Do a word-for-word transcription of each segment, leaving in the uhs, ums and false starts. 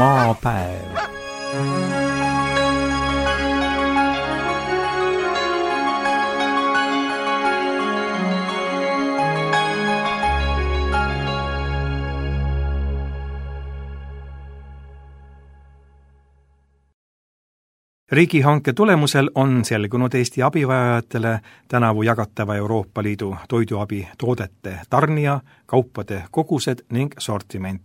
Maapäev. Riigihanke tulemusel on selgunud Eesti abivajajatele tänavu jagatava Euroopa Liidu toiduabi toodete tarnija, kaupade kogused ning sortiment.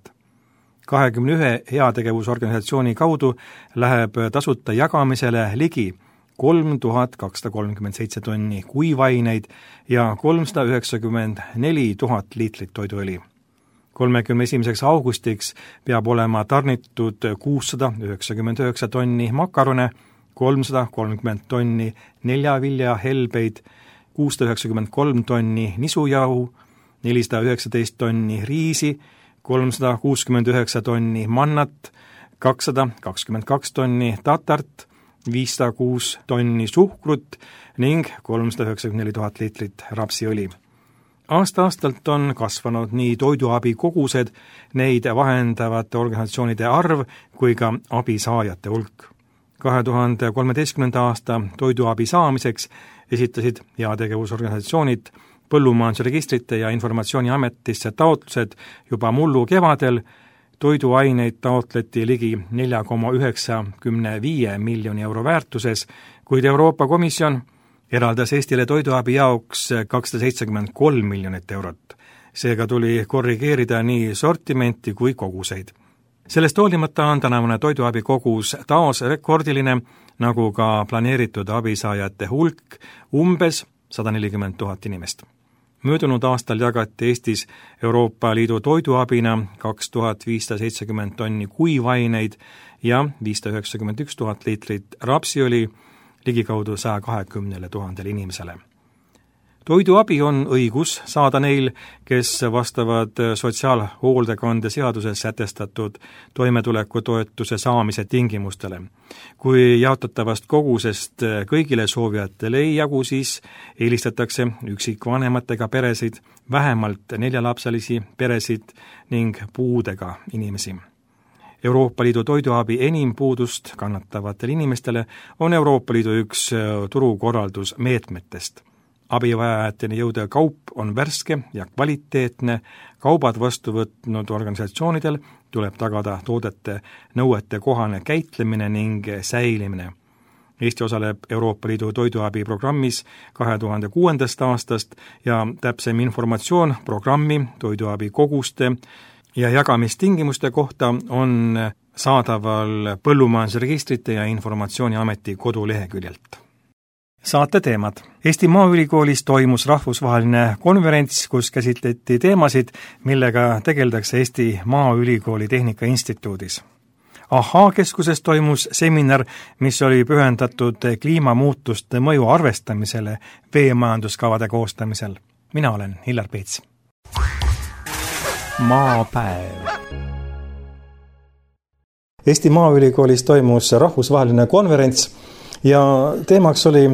kahekümne ühe heategevusorganisatsiooni kaudu läheb tasuta jagamisele ligi kolm tuhat kakssada kolmkümmend seitse tonni kuivaineid ja kolmsada üheksakümmend neli tuhat liitrit toiduõli. kolmekümne esimeseks augustiks peab olema tarnitud kuussada üheksakümmend üheksa tonni makarone, kolmsada kolmkümmend tonni neljavilja helbeid, kuussada üheksakümmend kolm tonni nisujahu, nelisada üheksateist tonni riisi, kolmsada kuuskümmend üheksa tonni mannat, kakssada kakskümmend kaks tonni tatart, viissada kuus tonni suhkrut ning kolmsada üheksakümmend neli tuhat liitrit rapsiõli. Aasta-aastalt on kasvanud nii toiduabi kogused, neid vahendavate organisatsioonide arv kui ka abisaajate hulk. kahe tuhande kolmeteistkümnenda aasta toiduabi saamiseks esitasid heategevusorganisatsioonid Põllumajandusregistrite ja Informatsiooniametisse taotlused juba mullu kevadel, toiduaineid taotleti ligi neli koma üheksakümmend viis miljoni euro väärtuses, kuid Euroopa Komisjon eraldas Eestile toiduabi jaoks kakssada seitsekümmend kolm miljonit eurot. Seega tuli korrigeerida nii sortimenti kui koguseid. Sellest hoolimata on tänavune toiduabi kogus taas rekordiline, nagu ka planeeritud abisaajate hulk umbes sada nelikümmend tuhat inimest. Möödunud aastal jagati Eestis Euroopa Liidu toiduabina kaks tuhat viissada seitsekümmend tonni kuivaineid ja viissada üheksakümmend üks tuhat liitrit rapsiõli ligikaudu saja kahekümnele tuhandele inimesele. Toiduabi on õigus saada neil, kes vastavad sotsiaalhoolekande seaduses sätestatud toimetulekutoetuse saamise tingimustele. Kui jaotatavast kogusest kõigile soovijatele ei jagu, siis eelistatakse üksikvanematega peresid, vähemalt neljalapselisi peresid ning puudega inimesi. Euroopa Liidu toiduabi enim puudust kannatavatel inimestele on Euroopa Liidu üks turukorraldusmeetmetest. Abivajajateni jõudev kaup on värske ja kvaliteetne, kaubad vastu võtnud organisatsioonidel tuleb tagada toodete nõuete kohane käitlemine ning säilimine. Eesti osaleb Euroopa Liidu toiduabi programmis kahe tuhande kuuendast aastast ja täpsem informatsioon programmi, toiduabi koguste ja jagamistingimuste kohta on saadaval Põllumajandusregistrite ja Informatsiooniameti koduleheküljelt. Saate teemad. Eesti Maaülikoolis toimus rahvusvaheline konverents, kus käsitleti teemasid, millega tegeldakse Eesti Maaülikooli Tehnika Instituudis. Ahaa keskuses toimus seminar, mis oli pühendatud kliimamuutuste mõju arvestamisele veemajanduskavade koostamisel. Mina olen Hillar Peets. Maapäev. Eesti Maaülikoolis toimus rahvusvaheline konverents ja teemaks oli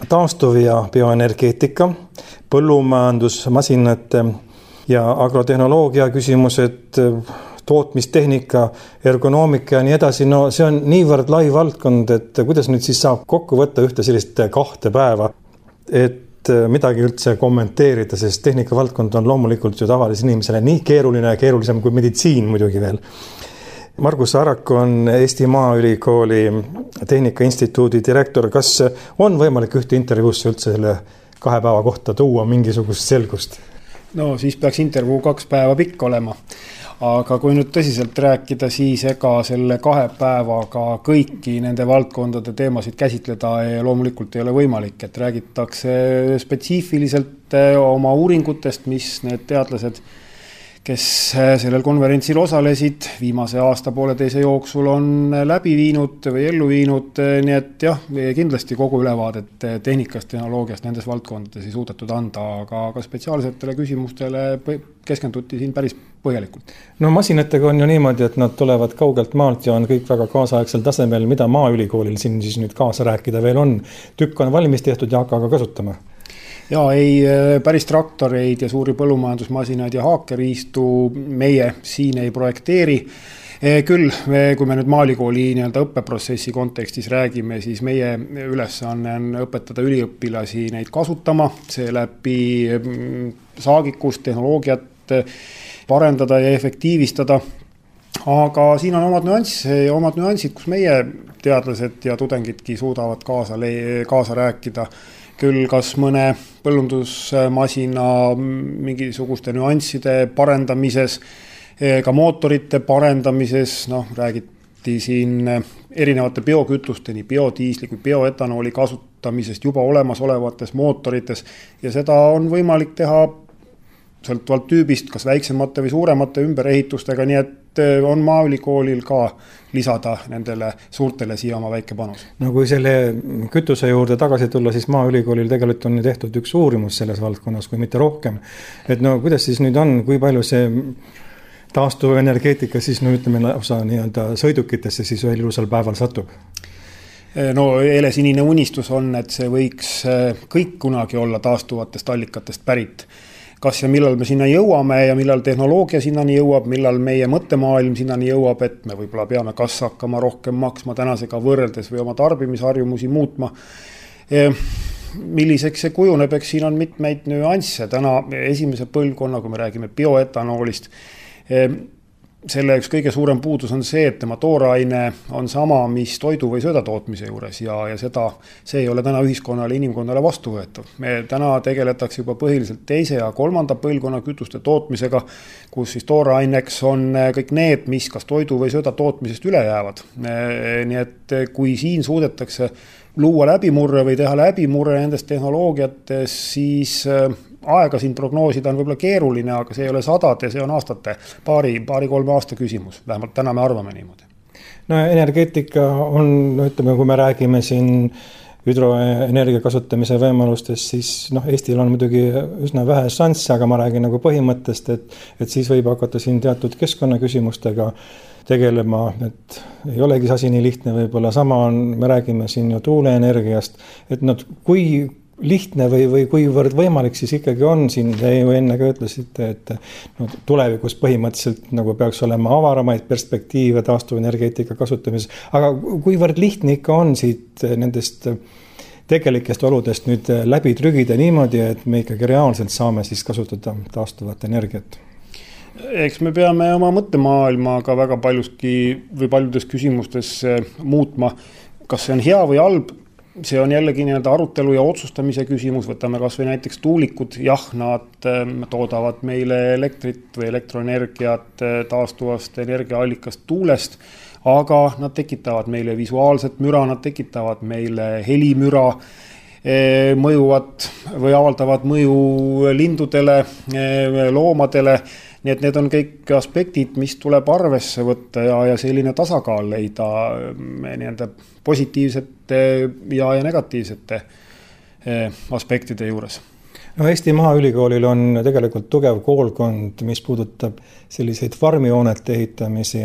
taastuv- ja bioenergeetika, põllumajandusmasinate ja agrotehnoloogia küsimused, tootmistehnika, ergonoomika ja nii edasi. No see on niivõrd lai valdkond, et kuidas nüüd siis saab kokku võtta ühte sellist kahte päeva, et midagi üldse kommenteerida, sest tehnika valdkond on loomulikult ju tavalise inimesele nii keeruline ja keerulisem kui meditsiin muidugi veel. Margus Arak on Eesti Maaülikooli Tehnika Instituudi direktor. Kas on võimalik ühte intervjuusse üldse selle kahe päeva kohta tuua mingisugust selgust? No siis peaks intervjuu kaks päeva pikk olema. Aga kui nüüd tõsiselt rääkida, siis ega selle kahe päevaga kõiki nende valdkondade teemasid käsitleda ja loomulikult ei ole võimalik, et räägitakse spetsiifiliselt oma uuringutest, mis need teadlased, kes sellel konverentsil osalesid, viimase aasta pooleteise jooksul on läbi viinud või ellu viinud, nii et jah, kindlasti kogu ülevaadet tehnikast, tehnoloogiast nendes valdkondades ei suudetud anda, aga, aga spetsiaalsetele küsimustele keskenduti siin päris põhjalikult. No masinatega on ju niimoodi, et nad tulevad kaugelt maalt ja on kõik väga kaasaegsel tasemel, mida Maaülikoolil siin siis nüüd kaasa rääkida veel on. Tükk on valmis tehtud ja hakka kasutama. Ja ei päris traktoreid ja suuri põllumajandusmasinaid ja haakeriistu meie siin ei projekteeri Küll, kui me nüüd Maalikooli nii-öelda õppeprotsessi kontekstis räägime, siis meie ülesanne on õpetada üliõpilasi neid kasutama, see läbi saagikust, tehnoloogiat parendada ja efektiivistada. Aga siin on omad nüansid, omad nüansid, kus meie teadlased ja tudengidki suudavad kaasa, kaasa rääkida. Küll kas mõne põllundusmasina mingisuguste nüansside parendamises, ka mootorite parendamises, noh, räägiti siin erinevate biokütuste, nii biodiisli kui bioetanooli kasutamisest juba olemasolevates mootorites ja seda on võimalik teha sõltuvalt tüübist, kas väiksemate või suuremate ümberehitustega, nii et on Maaülikoolil ka lisada nendele suurtele siia oma väike panus. No kui selle kütuse juurde tagasi tulla, siis Maaülikoolil tegelikult on tehtud üks uurimus selles valdkonnas, kui mitte rohkem. Et no kuidas siis nüüd on, kui palju see taastuvenergeetika siis no ütleme osa nii-öelda sõidukitesse siis ühel ilusal päeval satub? No helesinine unistus on, et see võiks kõik kunagi olla taastuvatest allikatest pärit. Kas ja millal me sinna jõuame ja millal tehnoloogia sinnani jõuab, millal meie mõttemaailm sinnani jõuab, et me võib-olla peame kas hakkama rohkem maksma tänasega võrreldes või oma tarbimisharjumusi muutma. Milliseks see kujuneb, eks siin on mitmeid nüansse. Täna esimese põlvkonna, kui me räägime bioetanoolist, selle üks kõige suurem puudus on see, et tema tooraine on sama, mis toidu või sööda tootmise juures ja, ja seda, see ei ole täna ühiskonnale, inimkonnale vastuvõetav. Me täna tegeletakse juba põhiliselt teise ja kolmanda põlvkonna kütuste tootmisega, kus siis tooraineks on kõik need, mis kas toidu või sööda tootmisest üle jäävad. Nii et kui siin suudetakse luua läbimurre või teha läbimurre nendest tehnoloogiates, siis aega siin prognoosida on võib-olla keeruline, aga see ei ole sadade, see on aastate, paari, paari kolme aasta küsimus. Vähemalt täna me arvame niimoodi. No energeetika on, no ütleme, kui me räägime siin hüdroenergia kasutamise võimalustest, siis noh, Eestil on muidugi üsna vähe šansse, aga ma räägin nagu põhimõttest, et, et siis võib hakata siin teatud keskkonnaküsimustega tegelema, et ei olegi asi nii lihtne, võib-olla sama on, me räägime siin ju tuuleenergiast, et nad, kui lihtne või, või kuivõrd võimalik siis ikkagi on siin, te ju enne ka ütlesite, et no, tulevikus põhimõtteliselt nagu peaks olema avaramaid perspektiive taastuvenergeetika kasutamises, aga kuivõrd lihtne ikka on siit nendest tegelikest oludest nüüd läbi trügida niimoodi, et me ikkagi reaalselt saame siis kasutada taastuvat energiat? Eks me peame oma mõttemaailmaga väga paljuski või paljudes küsimustes muutma, kas see on hea või halb. See on jällegi nii-öelda arutelu ja otsustamise küsimus, võtame kas või näiteks tuulikud, jah, nad toodavad meile elektrit või elektroenergiat taastuvast energiaallikast tuulest, aga nad tekitavad meile visuaalset müra, nad tekitavad meile helimüra, mõjuvad või avaldavad mõju lindudele, loomadele. Nii et need on kõik aspektid, mis tuleb arvesse võtta ja, ja selline tasakaal leida nii-öelda positiivsete ja, ja negatiivsete aspektide juures. No Eesti Maaülikoolil on tegelikult tugev koolkond, mis puudutab selliseid farmihoonete ehitamisi,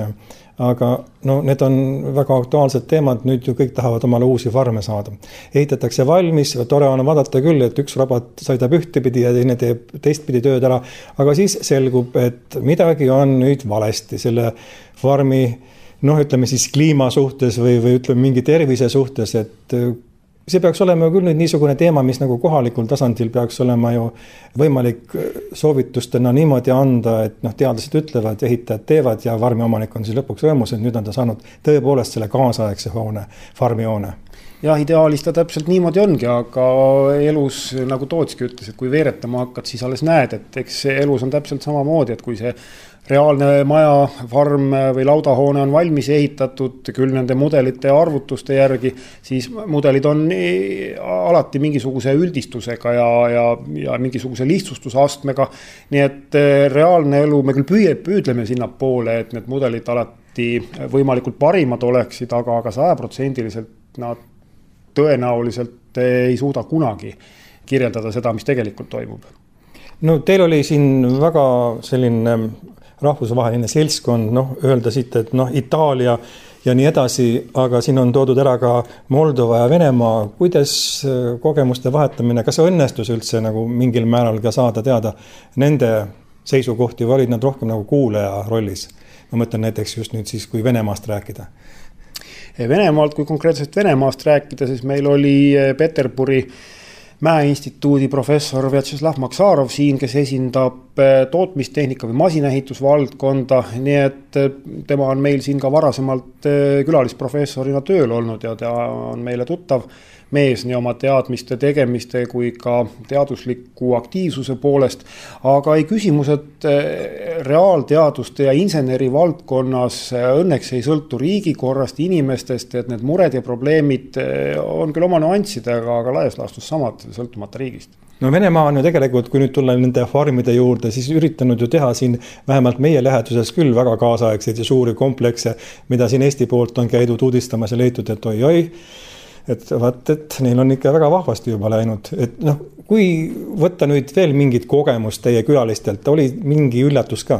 aga no, need on väga aktuaalsed teemad, nüüd ju kõik tahavad omale uusi farme saada. Ehitatakse valmis, tore on vaadata küll, et üks robot sõidab ühtepidi ja teine teeb teistpidi tööd ära, aga siis selgub, et midagi on nüüd valesti selle farmi, noh, ütleme siis kliima suhtes või, või ütleme mingi tervise suhtes, et see peaks olema küll nüüd niisugune teema, mis nagu kohalikul tasandil peaks olema ju võimalik soovitustena niimoodi anda, et noh, teadlased ütlevad, ehitajad teevad ja farmi omanik on siis lõpuks rõõmus, et nüüd on ta saanud tõepoolest selle kaasaegse hoone, farmihoone. Jah, ideaalis ta täpselt niimoodi ongi, aga elus, nagu Tootski ütles, et kui veeretama hakkad, siis alles näed, et eks elus on täpselt samamoodi, et kui see reaalne maja, farm või laudahoone on valmis ehitatud küll nende mudelite ja arvutuste järgi, siis mudelid on alati mingisuguse üldistusega ja, ja, ja mingisuguse lihtsustusastmega. Nii et reaalne elu, me küll püüe, püüdleme sinna poole, et need mudelid alati võimalikult parimad oleksid, aga, aga sajaprotsendiliselt nad tõenäoliselt ei suuda kunagi kirjeldada seda, mis tegelikult toimub. No teil oli siin väga selline rahvusvaheline seltskond, noh, öelda siit, et noh, Itaalia ja nii edasi, aga siin on toodud ära ka Moldova ja Venemaa. Kuidas kogemuste vahetamine, kas õnnestus üldse nagu mingil määral ka saada teada nende seisukohti või olid nad rohkem nagu kuulaja rollis? Ma mõtlen näiteks just nüüd siis, kui Venemaast rääkida. Venemaalt, kui konkreetselt Venemaast rääkida, siis meil oli Peterburi Mäeinstituudi professor Vjatšeslav Maksarov siin, kes esindab tootmistehnika või masinaehitusvaldkonda, nii et tema on meil siin ka varasemalt külalisprofessorina tööl olnud ja ta on meile tuttav mees nii oma teadmiste tegemiste kui ka teadusliku aktiivsuse poolest, aga ei küsimused reaalteaduste ja inseneri valdkonnas õnneks ei sõltu riigikorrast, inimestest, et need mured ja probleemid on küll oma nüanssidega, aga laias laastus samad sõltumata riigist. No Venemaa on ju tegelikult, kui nüüd tulla nende farmide juurde, siis üritanud ju teha siin vähemalt meie läheduses küll väga kaasaegseid ja suuri komplekse, mida siin Eesti poolt on käidud uudistamas ja leitud, et oi-oi, et vaat, et neil on ikka väga vahvasti juba läinud. Et noh, kui võtta nüüd veel mingit kogemust teie külalistelt, oli mingi üllatus ka?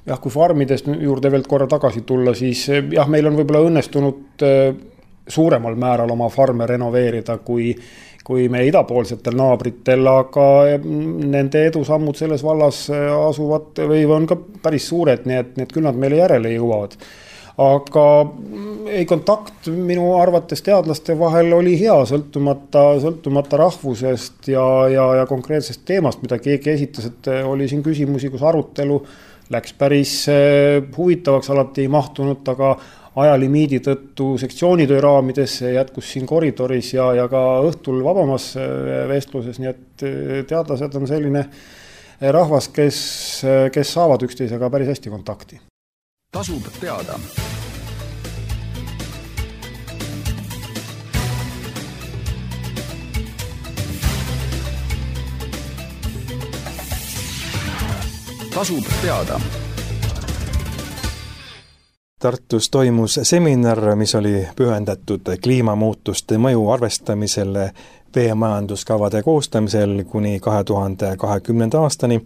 Jah, kui farmidest juurde veel korra tagasi tulla, siis jah, meil on võib-olla õnnestunud suuremal määral oma farme renoveerida kui, kui me idapoolsetel naabritel, aga nende edusammud selles vallas asuvad või on ka päris suured, nii et need küll nad meile järele jõuavad. Aga ei kontakt minu arvates teadlaste vahel oli hea, sõltumata, sõltumata rahvusest ja, ja, ja konkreetsest teemast, mida keegi esitas, et oli siin küsimusi, kus arutelu läks päris huvitavaks, alati ei mahtunud, aga ajalimiidi tõttu sektsioonitöö raamidesse jätkus siin koridoris ja, ja ka õhtul vabamas vestluses, nii et teadlased on selline rahvas, kes, kes saavad üksteisega päris hästi kontakti. Tasub teada. Tasub teada. Tartus toimus seminar, mis oli pühendatud kliimamuutuste mõju arvestamisele veemajanduskavade koostamisel kuni kahe tuhande kahekümnenda aastani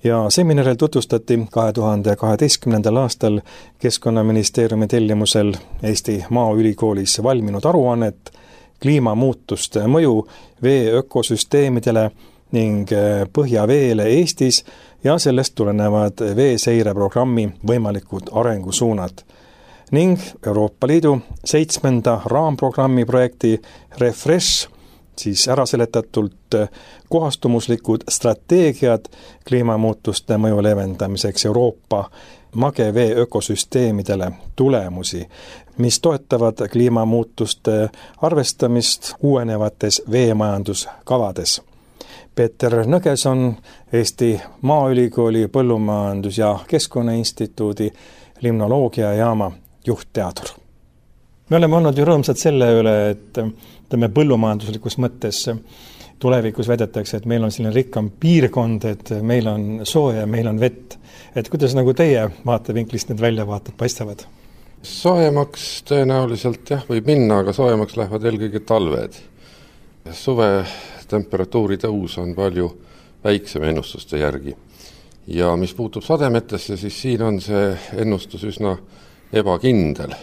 ja seminaril tutvustati kahe tuhande kaheteistkümnendal aastal Keskkonnaministeeriumi tellimusel Eesti Maaülikoolis valminud aruannet kliimamuutuste mõju vee ökosüsteemidele ning põhjaveele Eestis ja sellest tulenevad veeseireprogrammi võimalikud arengusuunad ning Euroopa Liidu seitsmenda raamprogrammi projekti Refresh, siis äraseletatult kohastumuslikud strateegiad kliimamuutuste mõju leevendamiseks Euroopa magevee ökosüsteemidele tulemusi, mis toetavad kliimamuutuste arvestamist uuenevates veemajanduskavades. Peeter Nõgeson, Eesti Maaülikooli Põllumajandus- ja Keskkonnainstituudi limnoloogiajaama juhtteadur. Me oleme olnud ju rõõmsad selle üle, et tõmme põllumajanduslikus mõttes tulevikus väidetakse, et meil on selline rikkam piirkond, et meil on sooja ja meil on vett. Et kuidas nagu teie vaatevinklist need väljavaated paistavad? Soojemaks tõenäoliselt jah võib minna, aga soojemaks lähevad eelkõige talved. Suve temperatuuri tõus on palju väiksem ennustuste järgi. Ja mis puutub sademetesse, siis siin on see ennustus üsna ebakindel.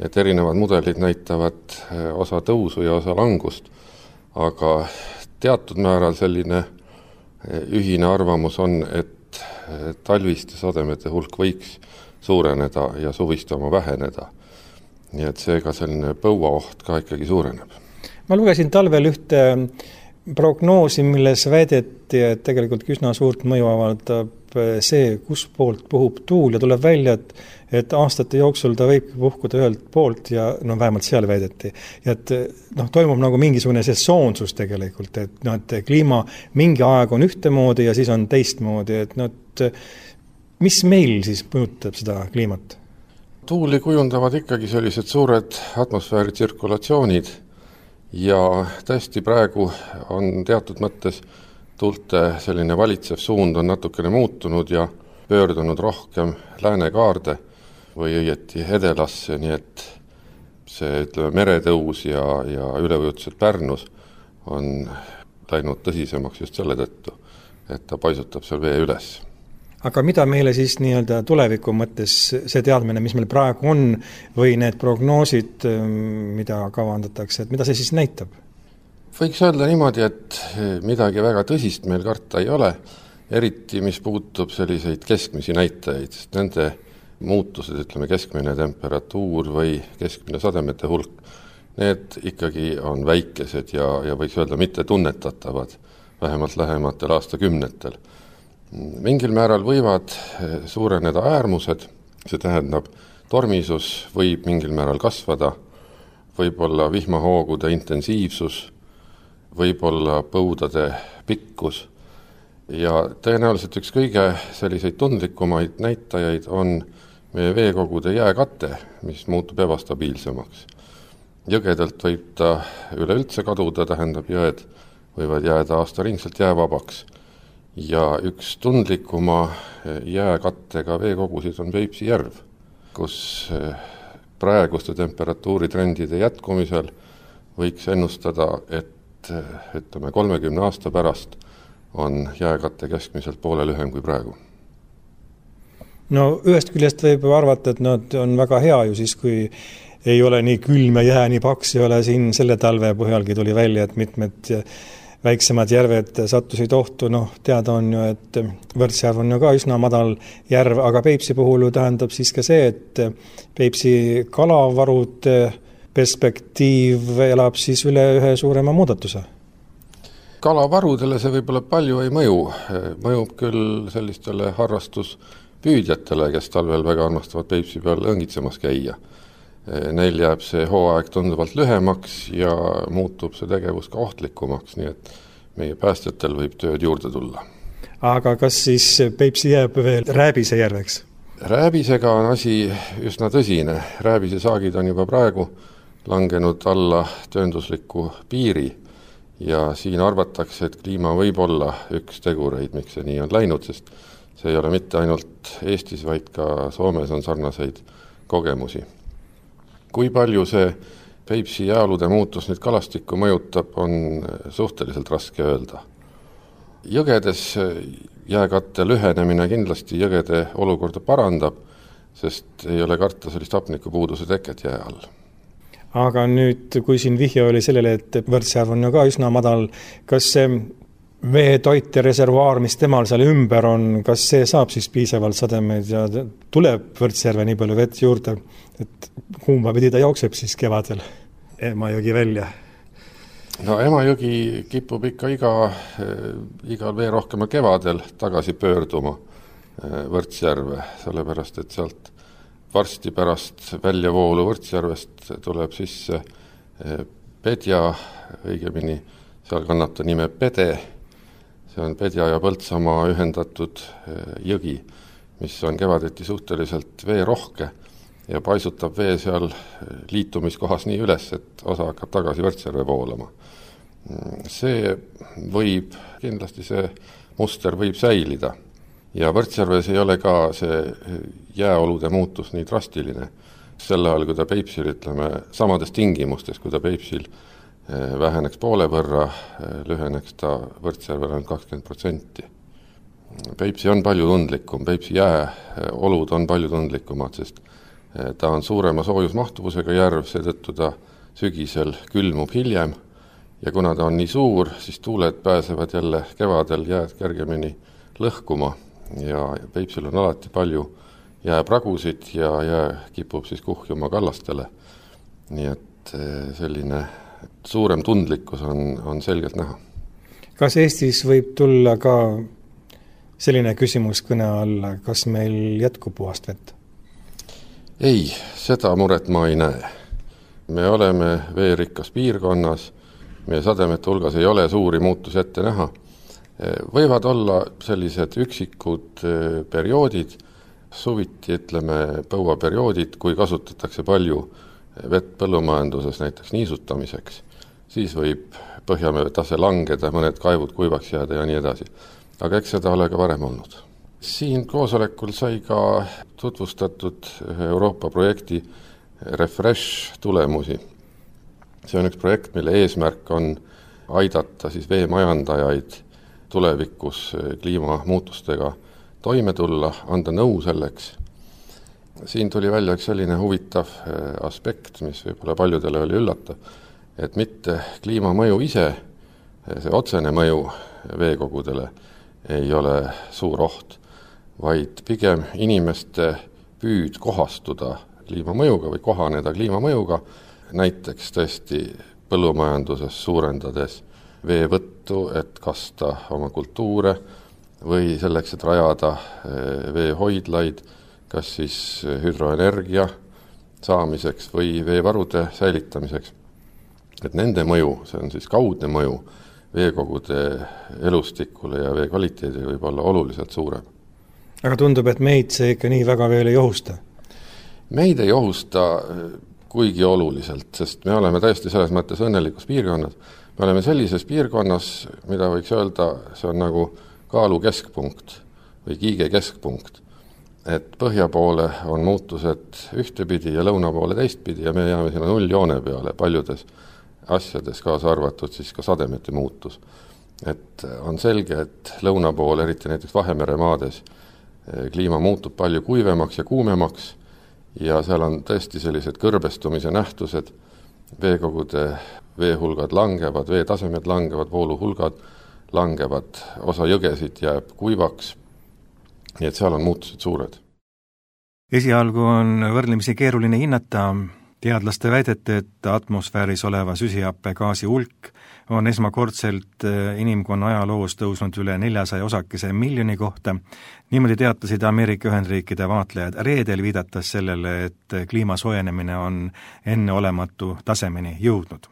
Et erinevad mudelid näitavad osa tõusu ja osa langust, aga teatud määral selline ühine arvamus on, et talviste sademete hulk võiks suureneda ja suviste oma väheneda. Nii et seega selline põuaoht ka ikkagi suureneb. Ma lugesin talvel ühte prognoosi, milles väideti, et tegelikult üsna suurt mõju avaldab see, kus poolt puhub tuul ja tuleb välja, et, et aastate jooksul ta võib puhkuda ühelt poolt ja no vähemalt seal väideti. Ja et noh, toimub nagu mingisugune sesoonsus tegelikult, et, no, et kliima mingi aeg on ühtemoodi ja siis on teistmoodi, et no, et mis meil siis mõjutab seda kliimat? Tuuli kujundavad ikkagi sellised suured atmosfääri tsirkulatsioonid ja tõesti praegu on teatud mõttes tuulte selline valitsev suund on natukene muutunud ja pöördunud rohkem läänekaarde või õieti edelasse, nii et see ütleme, meretõus ja, ja üleujutused Pärnus on läinud tõsisemaks just selle tõttu, et ta paisutab seal vee üles. Aga mida meile siis nii-öelda tuleviku mõttes see teadmine, mis meil praegu on, või need prognoosid, mida kavandatakse, et mida see siis näitab? Võiks öelda niimoodi, et midagi väga tõsist meil karta ei ole eriti mis puutub selliseid keskmisi näitajaid, sest nende muutused, ütleme keskmine temperatuur või keskmine sademete hulk, need ikkagi on väikesed ja, ja võiks öelda mitte tunnetatavad, vähemalt lähematel aastakümnetel. Mingil määral võivad suureneda äärmused, see tähendab, tormisus võib mingil määral kasvada, võib-olla vihmahoogude intensiivsus, võib-olla põudade pikkus ja tõenäoliselt üks kõige selliseid tundlikumaid näitajaid on meie veekogude jääkate, mis muutub ebastabiilsemaks. Jõgedelt võib ta üleüldse kaduda, tähendab jõed võivad jääda aastaringselt jäävabaks. Ja üks tundlikuma jääkattega veekogusid on Peipsi järv, kus praeguste temperatuuritrendide jätkumisel võiks ennustada, et ütleme kolmekümne aasta pärast on jääkatte keskmiselt poole lühem kui praegu. No ühest küljest võib arvata, et nad on väga hea ju siis, kui ei ole nii külm ja jää nii paks, ei ole siin selle talve põhjalgi tuli välja, et mitmed väiksemad järved sattusid ohtu, noh teada on ju, et Võrtsjärv on ju ka üsna madal järv, aga Peipsi puhul ju tähendab siis ka see, et Peipsi kalavarude perspektiiv elab siis üle ühe suurema muudatuse. Kalavarudele see võib-olla palju ei mõju, mõjub küll sellistele harrastuspüüdjatele, kes talvel väga armastavad Peipsi peal õngitsemas käia. Neil jääb see hooaeg tunduvalt lühemaks ja muutub see tegevus ka ohtlikumaks, nii et meie päästjatel võib tööd juurde tulla. Aga kas siis Peipsi jääb veel Rääbise järveks? Rääbisega on asi üsna tõsine. Rääbise saagid on juba praegu langenud alla tööndusliku piiri ja siin arvatakse, et kliima võib olla üks tegureid, miks see nii on läinud, sest see ei ole mitte ainult Eestis, vaid ka Soomes on sarnaseid kogemusi. Kui palju see Peipsi jääolude muutus nüüd kalastikku mõjutab, on suhteliselt raske öelda. Jõgedes jääkatte lühenemine kindlasti jõgede olukorda parandab, sest ei ole karta sellist hapnikupuuduse teket jää all. Aga nüüd, kui siin vihje oli sellele, et Võrtsjärv on ju ka üsna madal, kas see veetoit ja reservuaar, mis temal seal ümber on, kas see saab siis piisavalt sademeid ja tuleb Võrtsjärve nii palju vett juurde, et kumba pidi ta jookseb siis kevadel Emajõgi välja? No Emajõgi kipub ikka iga, igal vee rohkema kevadel tagasi pöörduma Võrtsjärve, sellepärast et sealt varsti pärast väljavoolu Võrtsjärvest tuleb sisse Pedja, õigemini seal kannab ta nime Pede, see on Pedja ja Põltsamaa ühendatud jõgi, mis on kevadeti suhteliselt veerohke ja paisutab vee seal liitumiskohas nii üles, et osa hakkab tagasi Võrtsjärve voolama. See võib, kindlasti see muster võib säilida ja Võrtsjärves ei ole ka see jääolude muutus nii drastiline. Selle ajal, kui ta Peipsil, ütleme, samades tingimustes, kui ta Peipsil väheneks poole võrra, lüheneks ta Võrtsjärvel on kakskümmend protsenti. Peipsi on palju tundlikum, Peipsi jääolud on palju tundlikumad, sest ta on suurema soojusmahtuvusega järv, seetõttu ta sügisel külmub hiljem ja kuna ta on nii suur, siis tuuled pääsevad jälle kevadel jääd kergemini lõhkuma ja Peipsil on alati palju jääpragusid ja jää kipub siis kuhjuma kallastele. Nii et selline suurem tundlikkus on, on selgelt näha. Kas Eestis võib tulla ka selline küsimus kõne alla, kas meil jätkub puhast vett? Ei, seda muret ma ei näe. Me oleme veerikkas piirkonnas, meie sademete hulgas ei ole suuri muutusi ette näha. Võivad olla sellised üksikud perioodid, suviti, ütleme, põuaperioodid, kui kasutatakse palju vett põllumajanduses näiteks niisutamiseks, siis võib põhjamee tase langeda, mõned kaivud kuivaks jääda ja nii edasi. Aga eks seda ole ka varem olnud. Siin koosolekul sai ka tutvustatud Euroopa projekti Refresh tulemusi. See on üks projekt, mille eesmärk on aidata siis veemajandajaid tulevikus kliimamuutustega toime tulla, anda nõu selleks. Siin tuli välja üks selline huvitav aspekt, mis võib-olla paljudele oli üllatav, et mitte kliimamõju ise, see otsene mõju veekogudele, ei ole suur oht, vaid pigem inimeste püüd kohastuda kliimamõjuga või kohaneda kliimamõjuga, näiteks tõesti põllumajanduses suurendades veevõttu, et kasta oma kultuure või selleks, et rajada veehoidlaid, kas siis hüdroenergia saamiseks või veevarude säilitamiseks. Et nende mõju, see on siis kaudne mõju, veekogude elustikule ja vee kvaliteedile võib olla oluliselt suurem. Aga tundub, et meid see ikka nii väga veel ei ohusta? Meid ei ohusta kuigi oluliselt, sest me oleme täiesti selles mõttes õnnelikus piirkonnas. Me oleme sellises piirkonnas, mida võiks öelda, see on nagu kaalu keskpunkt või kiige keskpunkt. Et põhja poole on muutused ühtepidi ja lõuna poole teistpidi ja me jääme sinna nulljoone peale paljudes asjades, kaasa arvatud siis ka sademete muutus. Et on selge, et lõuna pool, eriti näiteks Vahemere maades, kliima muutub palju kuivemaks ja kuumemaks ja seal on tõesti sellised kõrbestumise nähtused, veekogude veehulgad langevad, veetasemed langevad, vooluhulgad langevad, osa jõgesid jääb kuivaks, nii et seal on muutused suured. Esialgu on võrdlemisi keeruline hinnata teadlaste väidete, et atmosfääris oleva süsihappegaasi hulk on esmakordselt inimkonna ajaloos tõusnud üle neljasaja osakese miljoni kohta. Niimoodi teatasid Ameerika Ühendriikide vaatlejad reedel, viidates sellele, et kliima soojenemine on enneolematu tasemeni jõudnud.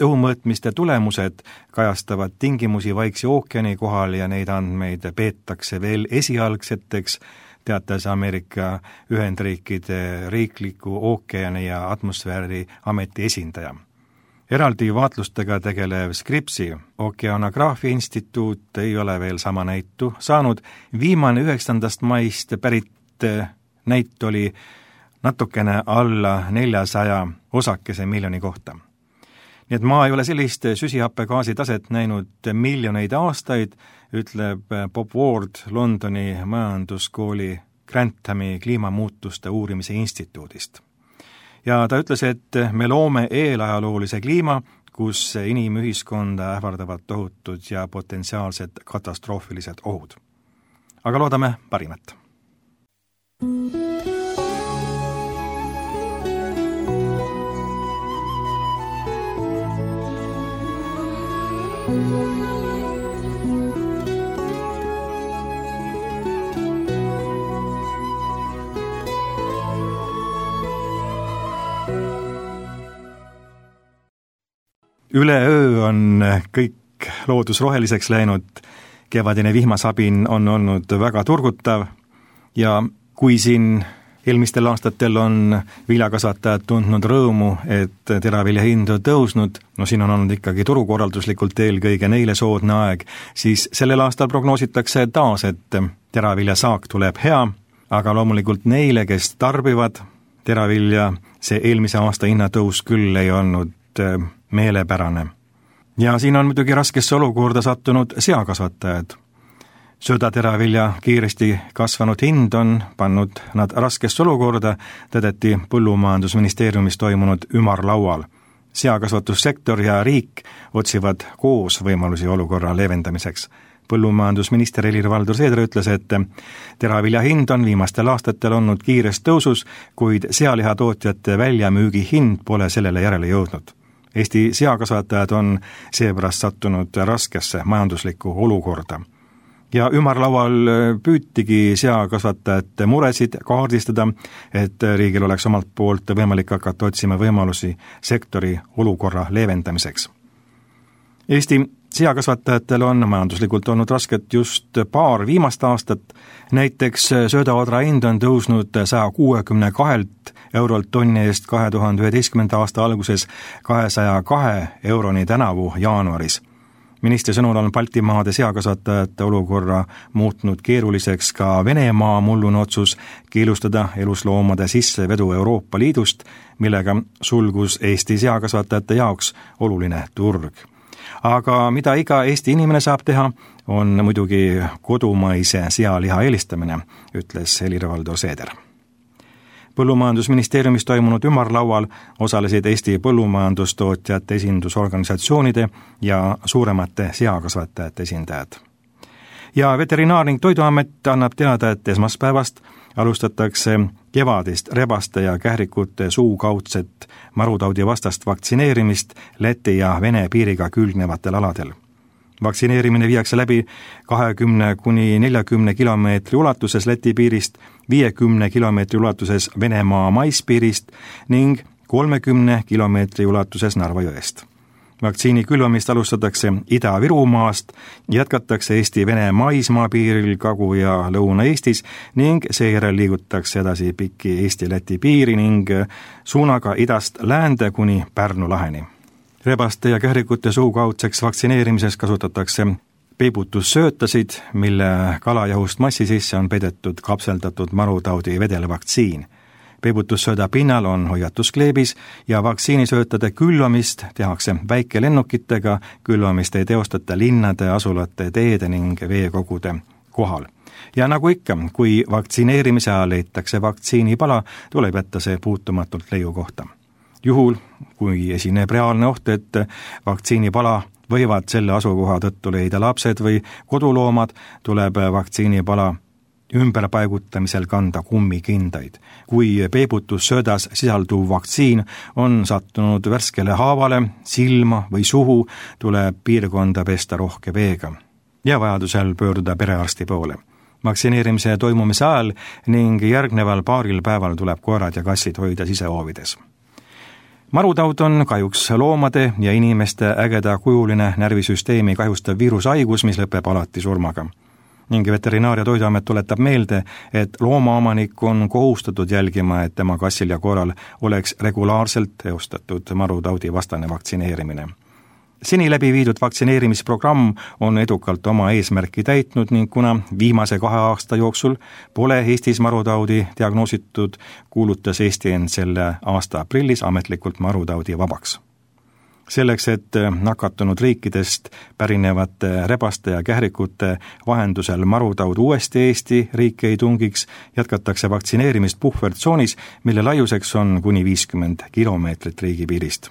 Õhumõõtmiste tulemused kajastavad tingimusi Vaikse ookeani kohal ja neid andmeid peetakse veel esialgseteks, teatas Ameerika Ühendriikide riikliku ookeani ja atmosfääri ameti esindaja. Eraldi vaatlustega tegelev Scripsi Okeanograafia instituut ei ole veel sama näitu saanud. Viimane üheksandast maist pärit näit oli natukene alla neljasaja osakese miljoni kohta. Nii et maa ei ole sellist süsihappegaasi taset näinud miljoneid aastaid, ütleb Bob Ward Londoni majanduskooli Granthami kliimamuutuste uurimise instituudist. Ja ta ütles, et me loome eelajaloolise kliima, kus inimühiskonda ähvardavad tohutud ja potentsiaalsed katastroofilised ohud. Aga loodame parimat. Üleöö on kõik loodus roheliseks läinud, kevadine vihmasabin on olnud väga turgutav ja kui siin eelmistel aastatel on viljakasvatajad tundnud rõõmu, et teravilja hind on tõusnud, no siin on olnud ikkagi turukorralduslikult eelkõige neile soodne aeg, siis sellel aastal prognoositakse taas, et teravilja saak tuleb hea, aga loomulikult neile, kes tarbivad teravilja, see eelmise aasta hinnatõus küll ei olnud meelepärane. Ja siin on muidugi raskesse olukorda sattunud seakasvatajad. Söödateravilja kiiresti kasvanud hind on pannud nad raskesse olukorda, tõdeti Põllumajandusministeeriumis toimunud ümarlaual. Seakasvatussektor ja riik otsivad koos võimalusi olukorra leevendamiseks. Põllumajandusminister Helir-Valdor Seeder ütles, et teravilja hind on viimastel aastatel olnud kiires tõusus, kuid sealihatootjate väljamüügi hind pole sellele järele jõudnud. Eesti seakasvatajad on seepärast sattunud raskesse majanduslikku olukorda. Ja ümarlaual püütigi seakasvatajate muresid kaardistada, et riigil oleks omalt poolt võimalik hakata otsima võimalusi sektori olukorra leevendamiseks. Eesti seakasvatajatel on majanduslikult olnud rasket just paar viimast aastat, näiteks söödaodra hind on tõusnud saja kuuekümne kahelt eurolt tonni eest kahe tuhande üheteistkümnenda aasta alguses kahesaja kahe euroni tänavu jaanuaris. Ministri sõnul on Baltimaade seakasvatajate olukorra muutnud keeruliseks ka Venemaa mullune otsus keelustada elusloomade sissevedu Euroopa Liidust, millega sulgus Eesti seakasvatajate jaoks oluline turg. Aga mida iga Eesti inimene saab teha, on muidugi kodumaise sealiha eelistamine, ütles Helir-Valdor Seeder. Põllumajandusministeeriumis toimunud ümarlaual osalesid Eesti põllumajandustootjate esindusorganisatsioonide ja suuremate seakasvatajate esindajad. ja Veterinaar- ning Toiduamet annab teada, et esmaspäevast alustatakse kevadist rebaste ja kährikute suukaudset marutaudi vastast vaktsineerimist Läti ja Vene piiriga külgnevatel aladel. Vaktsineerimine viiakse läbi kahekümne kuni neljakümne kilomeetri ulatuses Läti piirist, viiekümne kilomeetri ulatuses Venemaa maispiirist ning kolmekümne kilomeetri ulatuses Narva jõest. Vaktsiini külvamist alustatakse Ida-Virumaast, jätkatakse Eesti-Vene maismaapiiril Kagu- ja Lõuna-Eestis ning seejärel liigutakse edasi pikki Eesti-Läti piiri ning suunaga idast läände kuni Pärnu laheni. Rebaste ja kährikute suukaudseks vaktsineerimises kasutatakse peibutussöötasid, mille kalajahust massi sisse on peidetud kapseldatud marutaudi vedelvaktsiin. Peibutussööda pinnal on hoiatuskleebis ja vaktsiinisöötade külvamist tehakse väikelennukitega, külvamist ei teostata linnade, asulate, teede ning veekogude kohal. Ja nagu ikka, kui vaktsineerimise ajal leitakse vaktsiinipala, tuleb jätta see puutumatult leiu kohta. Juhul, kui esineb reaalne oht, et vaktsiinipala võivad selle asukoha tõttu leida lapsed või koduloomad, tuleb vaktsiinipala ümberpaigutamisel kanda kummikindaid. Kui peibutussöödas sisalduv vaktsiin on sattunud värskele haavale, silma või suhu, tuleb piirkonda pesta rohke veega ja vajadusel pöörduda perearsti poole. Vaktsineerimise toimumise ajal ning järgneval paaril päeval tuleb koerad ja kassid hoida sisehoovides. Marutaud on kahjuks loomade ja inimeste ägeda kujuline närvisüsteemi kahjustav viirushaigus, mis lõpeb alati surmaga. Ning Veterinaar- ja Toiduamet tuletab meelde, et loomaomanik on kohustatud jälgima, et tema kassil ja koeral oleks regulaarselt teostatud marutaudi vastane vaktsineerimine. Seni läbi viidud vaktsineerimisprogramm on edukalt oma eesmärki täitnud ning kuna viimase kahe aasta jooksul pole Eestis marutaudi diagnoositud, kuulutas Eesti end selle aasta aprillis ametlikult marutaudi vabaks. Selleks, et nakatunud riikidest pärinevate rebaste ja kährikute vahendusel marutaud uuesti Eesti riiki ei tungiks, jätkatakse vaktsineerimist puhvertsoonis, mille laiuseks on kuni viiskümmend kilomeetrit riigipiirist.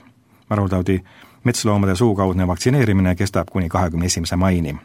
Marutaudi metsloomade suukaudne vaktsineerimine kestab kuni kahekümne esimese maini.